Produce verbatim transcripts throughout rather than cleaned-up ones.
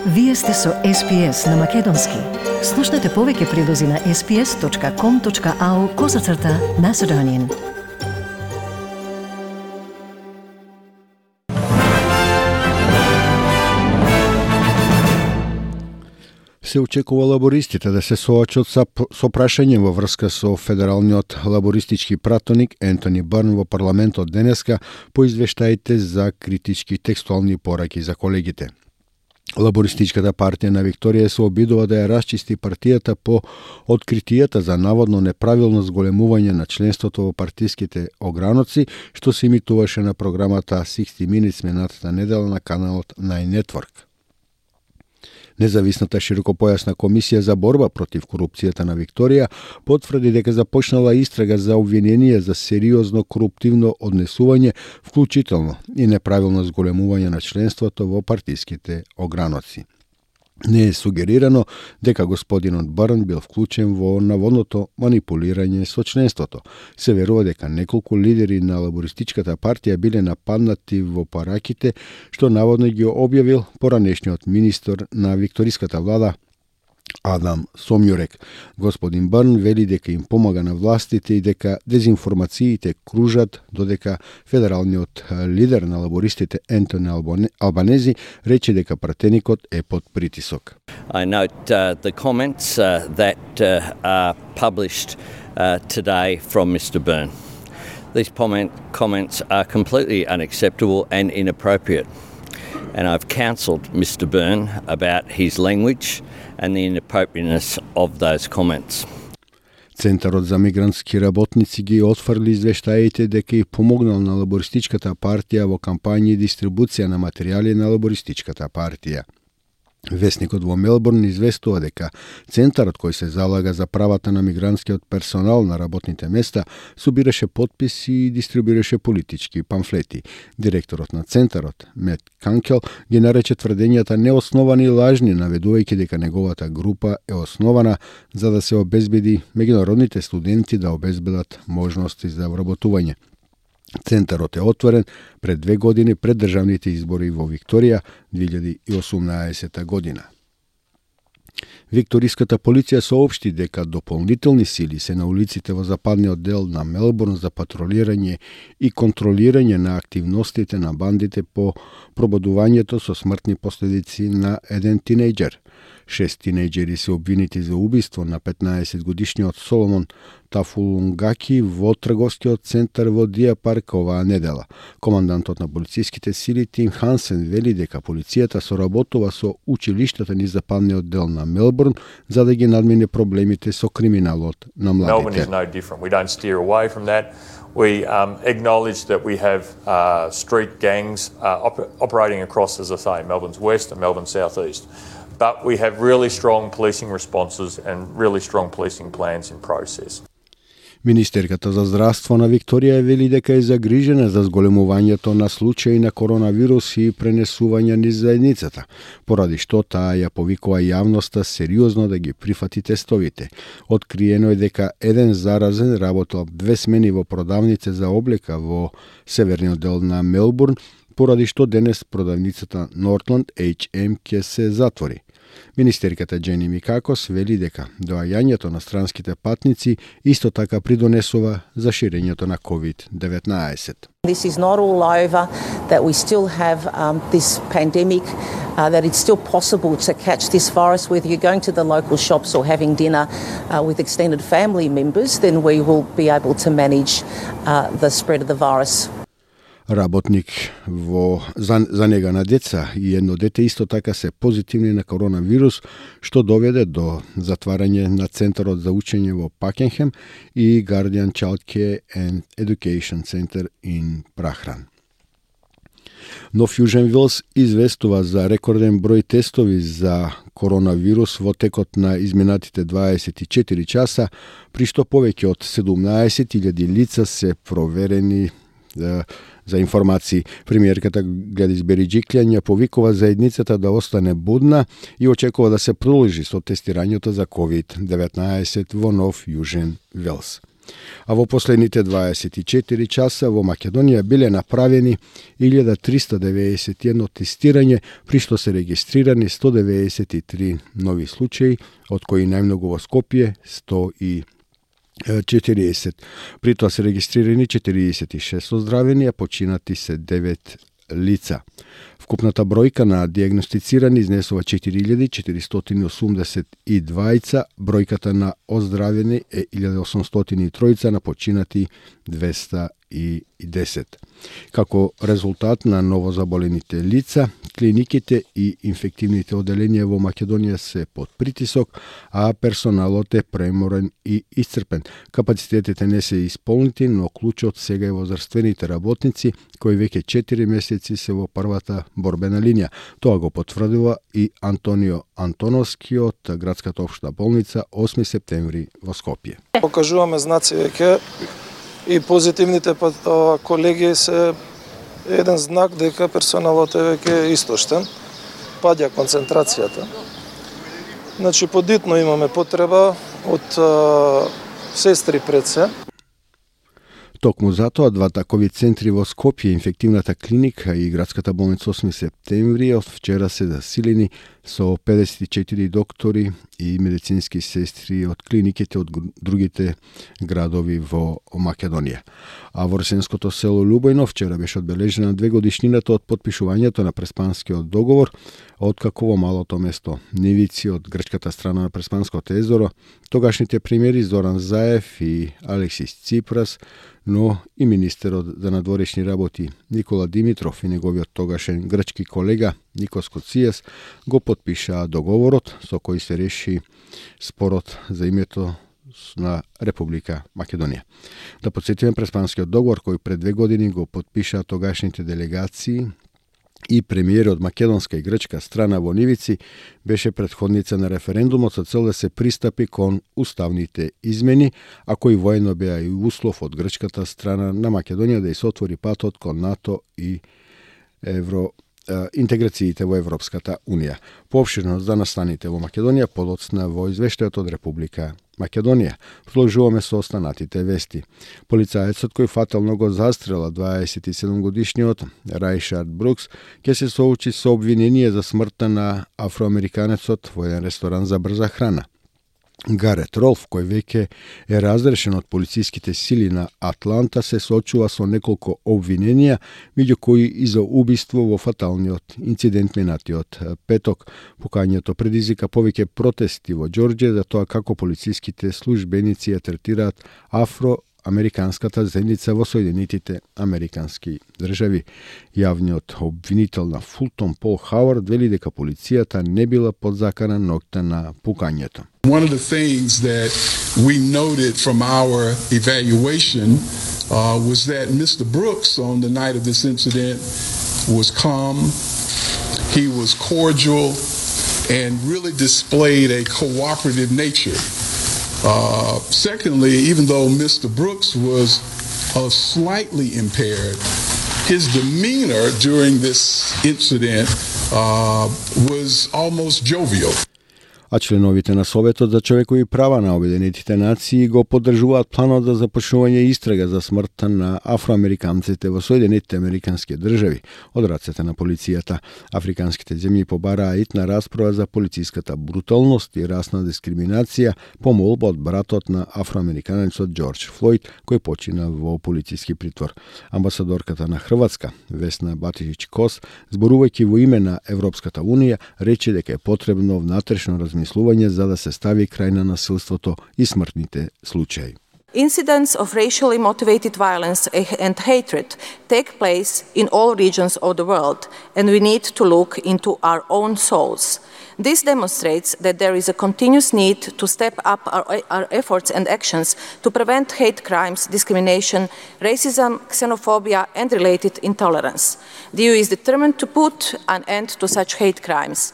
Вие сте со Ес Би Ес на Македонски. Слушнете повеќе прилози на ес би ес точка ком точка ау козацрта Macedonian. Се очекува лабористите да се соочат со, со прашање во врска со федералниот лабористички пратеник Ентони Бърн во парламентот денеска по извештаите за критички текстуални пораки за колегите. Лабористичката партија на Викторија се обидува да ја расчисти партијата по откритијата за наводно неправилно зголемување на членството во партиските ограноци, што се имитуваше на програмата шестдесет Minutes минатата недела на каналот Nine Network. Независната широкопојасна комисија за борба против корупцијата на Викторија потврди дека започнала истрага за обвинение за сериозно коруптивно однесување, вклучително и неправилно зголемување на членството во партиските ограноци. Не е сугерирано дека господинот Бърн бил вклучен во наводното манипулирање со членството. Се верува дека неколку лидери на лабористичката партија биле нападнати во параките, што наводно ги објавил поранешниот министер на викториската влада Адам Сомјурек. Господин Бърн вели дека им помага на властите и дека дезинформациите кружат, додека федералниот лидер на лабористите Ентони Албанези рече дека пратеникот е под притисок. I note uh, the comments uh, that uh, are published uh, today from Mister Byrne. These comment, comments are completely unacceptable and inappropriate. And I've counselled Mister Byrne about his language and the inappropriateness of those comments. Центарот за мигрантски работници ги отфрли извештаите дека и помогнал на лабористичката партија во кампања и дистрибуција на материјали на лабористичката партија. Весникот во Мелбурн известува дека центарот кој се залага за правата на мигрантскиот персонал на работните места собираше потписи и дистрибуираше политички памфлети. Директорот на центарот, Мет Канкел, ги нарече тврдењата неосновани и лажни, наведувајќи дека неговата група е основана за да се обезбеди меѓународните студенти да обезбедат можности за вработување. Центарот е отворен пред две години пред државните избори во Викторија две илјади и осумнаесета година. Викториската полиција соопшти дека дополнителни сили се на улиците во западниот дел на Мелбурн за патролирање и контролирање на активностите на бандите по пробудувањето со смртни последици на еден тинејџер. Шест тинејџери се обвинети за убиство на петнаесетгодишниот Соломон Тафулунгаки во трговскиот центар во Дија Парк оваа недела. Командантот на полициските сили Тим Хансен вели дека полицијата соработува со училиштата низ западниот дел на Мелбурн за да ги надмине проблемите со криминалот на младите. Melbourne is no different. We don't steer away from that. We um, acknowledge that we have uh, street gangs uh, op- operating across, as I say, Melbourne's west and Melbourne's southeast. But we have really strong policing responses and really strong policing plans in process. Министерката за здравство на Викторија вели дека е загрижена за зголемувањето на случаи на коронавирус и пренесување низ заедницата, поради што таа ја повикува јавноста сериозно да ги прифати тестовите. Откриено е дека еден заразен работел две смени во продавница за облека во северниот дел на Мелбурн, поради што денес продавницата Northland Еич Ем ќе се затвори. Министерката Джени Микакос вели дека доаѓањето на странските патници исто така придонесува за ширењето на ковид деветнаесет. This is not all over, that we still have um, this pandemic, uh, that it's still possible to catch this virus, whether you're going to the local shops or having dinner uh, with extended family members, then we will be able to manage uh, the spread of the virus. Работник во за, за нега на деца и едно дете исто така се позитивни на коронавирус, што доведе до затварање на Центарот за учење во Пакенхем и Guardian Child Care and Education Center in Прахран. Нов Јужен Велс известува за рекорден број тестови за коронавирус во текот на изминатите дваесет и четири часа, при што повеќе од седумнаесет илјади лица се проверени. За информации, премиерката Гладис Бериџиклјан ја повикува заедницата да остане будна и очекува да се продолжи со тестирањето за ковид деветнаесет во Нов Јужен Велс. А во последните дваесет и четири часа во Македонија биле направени илјада триста деведесет и едно тестирање, при што се регистрирани сто деведесет и три нови случаи, од кои најмногу во Скопје сто и четириесет. При тоа се регистрирани четириесет и шест оздравени, а починати се девет лица. Вкупната бројка на диагностицирани изнесува четири илјади четиристотини осумдесет и дваица, бројката на оздравени е илјада осумстотини и троица, на починати двеста и десет. Како резултат на новозаболените лица, клиниките и инфективните оделенија во Македонија се под притисок, а персоналот е преморен и исцрпен. Капацитетите не се исполнити, но клучот сега е во здравствените работници, кои веќе четири месеци се во првата борбена линија. Тоа го потврдува и Антонио Антоновски од градската општа болница осми септември во Скопје. Покажуваме знаци веќе и позитивните колеги се еден знак дека персоналот е веќе истоштен, паѓа концентрацијата. Значи, подитно имаме потреба од а, сестри пред се. Токму затоа двата ковид центри во Скопје, инфективната клиника и градската болница осми септември од вчера се засилени со педесет и четири доктори и медицински сестри од клиниките од другите градови во Македонија. А во ресенското село Лубојно вчера беше одбележена две годишнината од потпишувањето на Преспанскиот договор, откако во малото место Нивици од грчката страна на Преспанското езеро, тогашните премиери Зоран Заев и Алексис Ципрас, но и министерот за надворешни работи Никола Димитров и неговиот тогашен грчки колега Никос Коцијас го потпишаа договорот со кој се реши спорот за името на Република Македонија. Да подсетиме, Преспанскиот договор кој пред две години го потпишаа тогашните делегации и премиери од македонска и грчка страна во Нивици, беше претходница на референдумот со цел да се пристапи кон уставните измени, а кои воедно беа и услов од грчката страна на Македонија да ја се отвори патот кон НАТО и Евро интеграциите во Европската Унија. Поопширно за настаните во Македонија подоцна во извештајот од Република Македонија. Продолжуваме со останатите вести. Полицаецот кој фатално го застрела дваесет и седум годишниот Рајшард Брукс ќе се соочи со обвинение за смртта на афроамериканецот во еден ресторан за брза храна. Гарет Ролф, кој веќе е разрешен од полициските сили на Атланта, се соочува со неколку обвиненија, меѓу кои и за убиство во фаталниот инцидент минатиот петок. Покањето предизвика повеќе протести во Џорџија за тоа како полициските службеници ја третираат афроамериканската заедница во Соединетите Американски држави. Јавниот обвинител на Фултон Пол Хауард вели дека полицијата не била подзакана ноќта на пукањето. One of the things that we noted from our evaluation uh, was that Mister Brooks on the night of this incident was calm, he was cordial, and really displayed a cooperative nature. Uh, secondly, even though Mister Brooks was uh, slightly impaired, his demeanor during this incident uh, was almost jovial. А членовите на Советот за човекови права на Обединетите нации го поддржуваат планот за започнување истрага за смртта на афроамериканците во Соединетите Американски држави од рацете на полицијата. Африканските земји побараа итна расправа за полициската бруталност и расна дискриминација по молба од братот на афроамериканецот Џорџ Флојд, кој почина во полициски притвор. Амбасадорката на Хрватска, Весна Батијич Кос, зборувајќи во име на Европската Унија, рече дека е потребно внатрешно размислување за да се стави крај на насилството и смртните случаи. Incidents of racially motivated violence and hatred take place in all regions of the world, and we need to look into our own souls. This demonstrates that there is a continuous need to step up our, our efforts and actions to prevent hate crimes, discrimination, racism, xenophobia, and related intolerance. The E U is determined to put an end to such hate crimes.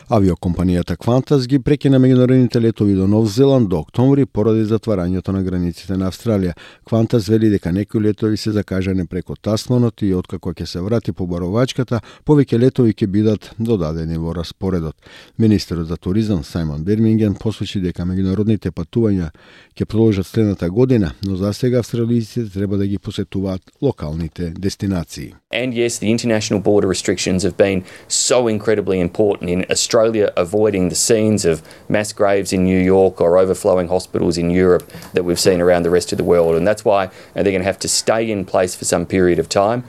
Авиокомпанијата Qantas ги прекина меѓународните летови до Нов Зеланд до октомври поради затварањето на границите на Австралија. Qantas вели дека некои летови се закажани преку Тасманот и откако ќе се врати побаровачката, повеќе летови ќе бидат додадени во распоредот. Министерот за туризам Сајмон Бирминген посочи дека меѓународните патувања ќе продолжат следната година, но за сега австралијците треба да ги посетуваат локалните дестинации. And yes, the international border restrictions have been so incredibly important in Australia avoiding the scenes of mass graves in New York or overflowing hospitals in Europe that we've seen around the rest of the world. And that's why they're going to have to stay in place for some period of time.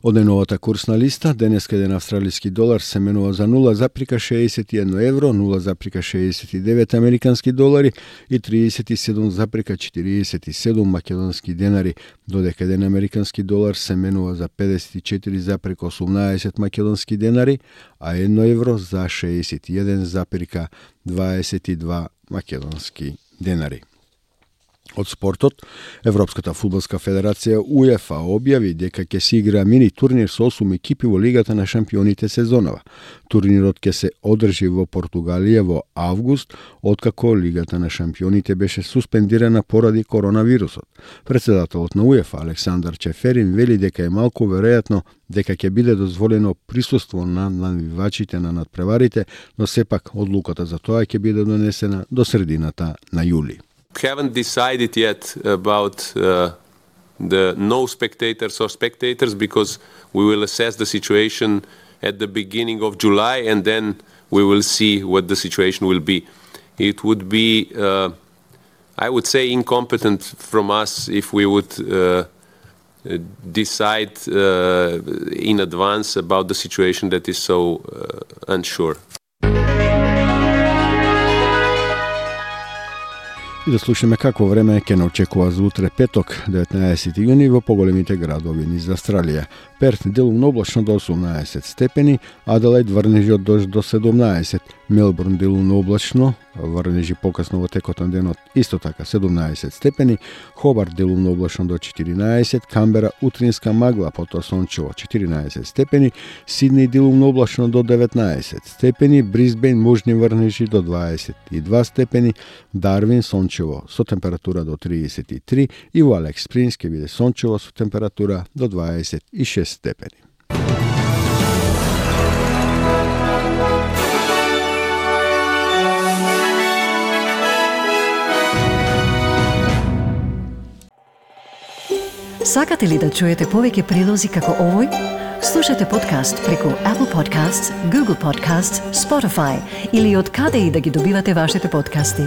Од деновата курсна листа, денеска еден австралиски долар се менува за нула запирка шеесет и едно евро, нула запирка шеесет и девет американски долари и триесет и седум запирка четириесет и седум македонски денари, додека еден американски долар се менува за педесет и четири запирка осумнаесет македонски денари, а едно евро за шеесет и еден запирка дваесет и два македонски денари. Од спортот, Европската фудбалска федерација УЕФА објави дека ќе се игра мини турнир со осум екипи во Лигата на шампионите сезонова. Турнирот ќе се одржи во Португалија во август, откако Лигата на шампионите беше суспендирана поради коронавирусот. Председателот на УЕФА Александар Чеферин вели дека е малку веројатно дека ќе биде дозволено присуство на навивачите на надпреварите, но сепак одлуката за тоа ќе биде донесена до средината на јули. Haven't decided yet about uh, the no spectators or spectators because we will assess the situation at the beginning of July and then we will see what the situation will be. It would be, uh, I would say, incompetent from us if we would uh, decide uh, in advance about the situation that is so uh, unsure. И да слушаме какво време ќе не очекува за утре петок, деветнаесети јуни во поголемите градови низ Австралија. Перт делумно облачно до осумнаесет степени, Аделаид врнежи од дожд до седумнаесет, Мелбурн делумно облачно, врнежи покасно во текот на денот исто така седумнаесет степени, Хобарт делумно облачно до четиринаесет, Камбера утринска магла, потоа сончево четиринаесет степени, Сиднеј делумно облачно до деветнаесет степени, Брисбејн можни врнежи до дваесет и два степени, Дарвин сончево со температура до триесет и три и во Алекс Спрингс ќе биде сончево со температура до дваесет и шест степени. Сакате ли да чуете повеќе прилози како овој? Слушате подкаст преку Apple Podcasts, Google Podcasts, Spotify или од каде и да ги добивате вашите подкасти.